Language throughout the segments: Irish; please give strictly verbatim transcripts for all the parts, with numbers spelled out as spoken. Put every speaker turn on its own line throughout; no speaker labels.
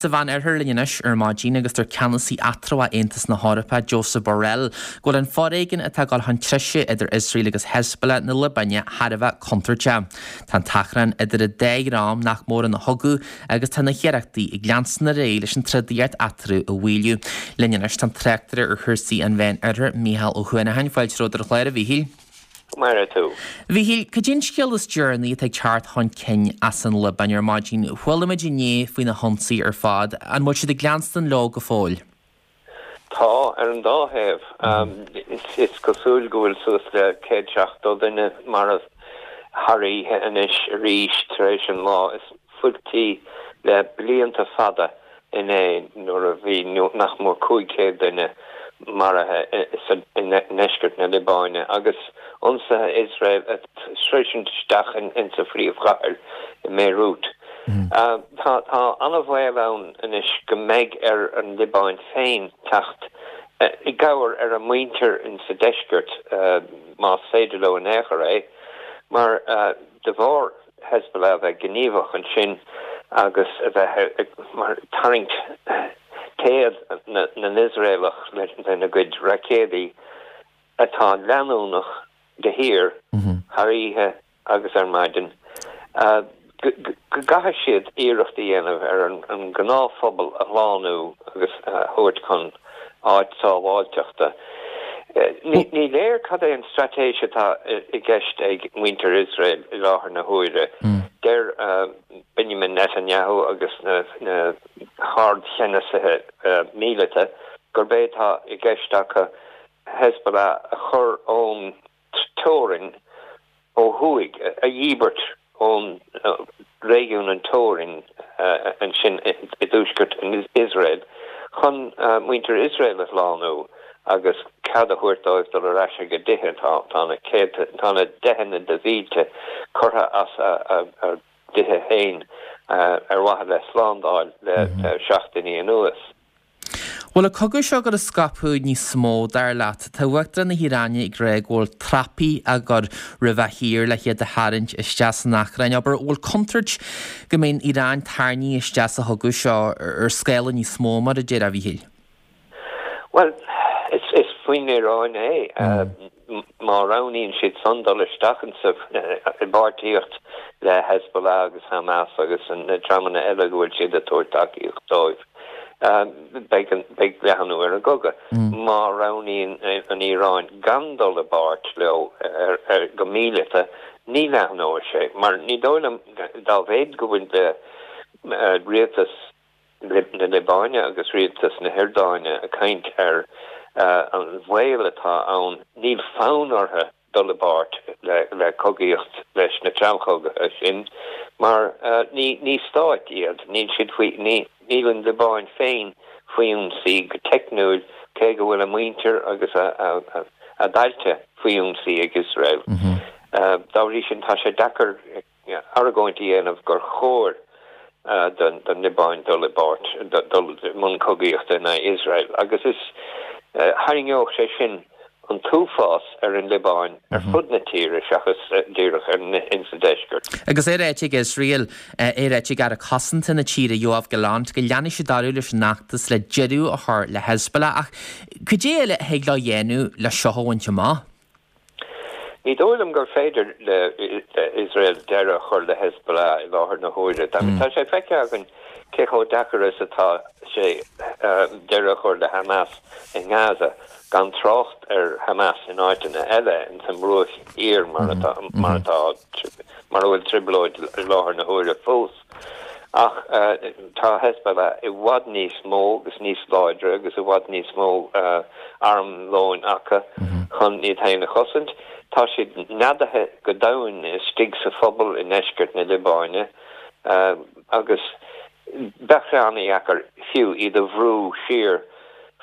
Sa Mheánoirthear linn anois ar maidin agus deir ceannasaí eatramhach Aontas na hEorpa, Josep Borrell, go bhfuil an foréigean atá ag dul chun treise idir Iosrael agus Hezbollah na Liobáine thar a bheith contúirteach. Tá an t-achrann idir an dá dhream nach mór ina chogadh agus tá na hiarrachtaí ag leanstan ar aghaidh leis an trodaíocht eatarthu a mhaolú. Linn anois tá an tráchtaire ar chúrsaí an Mheánoirthir, Mícheál Ó Huanacháin. Fáilte romhat ar an chlár, a Mhíchíl.
Mar tú.
Mhíchíl, cad é an scéal is deireanaí atá ag teacht chun cinn as an Liobáin ar maidin? Chuala muid inné faoi na hionsaithe ar fad, an bhfuil siad ag leanstan leo go fóill?
Tá, ar an dá thaobh. Is cosúil go bhfuil suas le céad seachtó duine marbh thar oíche anois arís tar éis an lá is fuiltí le blianta fada inné nuair a bhí nach mór cúig chéad duine maraithe i ndeisceart na Liobáine agus ionsaithe Iosrael ag sroisint isteach insa phríomhchathair i mBeirut. Tá tá an-bhaol ann anois go mbeidh ar an Liobáin féin teacht i gcabhair ar a muintir insa deisceart, más féidir leo in aon chor é, mar de bharr Hezbollah a bheith gníomhach ansin agus a bheith ag tarraingt téad na nIosraelach lena gcuid raicéadaí atá leanúnach de shíor thar oíche agus ar maidin, go gcaithfidh siad iarracht a dhéanamh ar an ngnáthphobal a shlánú agus a thabhairt chun áit sábháilteachta. Ní léir cad é an straitéis atá i gceist ag muintir Iosrael i láthair na huaire. Deir Benjamin Netanyahu agus na hardcheannasaithe míleata gurb é atá i gceist acu Hezbollah a chur ón teorainn ó thuaidh, a dhíbirt ón réigiún an teorainn ansin i dtuaisceart Iosrael chun muintir Iosrael a shlánú agus cead a thabhairt dóibh dul ar ais ag a dtithe. Tá na céadta, tá na deicheanna de mhílte curtha as a dtithe féin ar mhaithe le slándáil le seachtainí anuas.
Bhfuil an cogadh seo ag dul a scaipeadh níos mó, dar leat? Tá Uachtarán na hIaráine ag rá go bhfuil trapaí á gcur roimh a thír le hiad a tharraingt isteach san achrann. Abair, bhfuil contúirt go mbeidh an Iaráin tarraingthe isteach sa chogadh seo ar scála níos mó, mar a déarfá, a Mhíchíl?
Bhuel, is faoin Iaráin é. Má roghnaíonn siad san dul isteach insa i bpáirtíocht le Hezbollah agus Hamas agus na dreamanna eile go bhfuil siad ag tabhairt tacaíocht dóibh, beidh beidh leathnú ar an gcogadh. Má roghnaíonn an Iaráin gan dul i bpáirt leo ar ar go míleata, ní leathnóidh sé, mar ní dóigh liom dá mhéad go bhfuil rialtas na Liobáine agus rialtas na hIordáine ag caint ar an bhaol atá ann, níl fonn orthu dul i bpáirt le cogaíocht leis na treallchogaithe sin mar ní stáit iad, níl siad faoi, níl an Liobáin féin faoi ionsaí go teicniúil cé go bhfuil a muintir agus a dtailte faoi ionsaí ag Iosrael. Dá bhrí sin tá sé deacair argóint a dhéanamh gur chóir don Liobáin dul i bpáirt, dul i mbun cogaíochta in aghaidh Iosrael agus is tharraingeodh sé sin an t-uafás ar an Liobáin ar fud na tíre seachas díreach insa deisceart.
Agus é ráite ag Iosrael, é ráite ag Aire Cosanta na tíre Yoav Gallant go leanfaidh siad orthu leis an fheachtas le deireadh a chur le Hezbollah ach cad é eile a thig leo a dhéanamh le seo a bhaint amach?
Ní dóigh liom gur féidir le Iosrael deireadh a chur le Hezbollah i láthair na huaire. Tá sé feicthe againn cé chomh deacair is atá sé deireadh a chur le Hamas i nGaza, gan trácht ar Hamas in áiteanna eile ins an mBruach Thiar mar atá mar atá mar a bhfuil trioblóid i láthair na huaire fós. Ach tá Hezbollah i bhfad níos mó agus níos láidre agus i bhfad níos mó armlóin acu chun iad féin a chosaint. Tá siad neadaithe go domhain istigh sa phobal i ndeisceart na Liobáine agus bheadh sé an-dheacair fiú iad a bhrú siar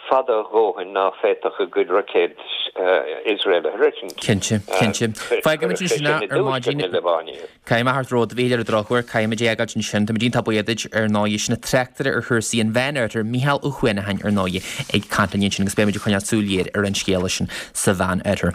fada a dhóthain ná féadfadh a gcuid roicéad Iosrael a shroichint.
Cinnte, cinnte. Fágfaimid ansin é ar maidin. Caithfidh mé a theacht romhat, a Mhíchíl, ar an drochuair, caithfimid é a fhágáilt ansin. Táimid iontach buíoch duit ar ndóigh. Sin an tráchtaire ar chúrsaí an Mheánoirthir, Mícheál Ó Huanacháin ar ndóigh, ag caint linn ansin agus beimid ag coinneáil súil ghéar ar an scéala sin sa Mheánoirthear.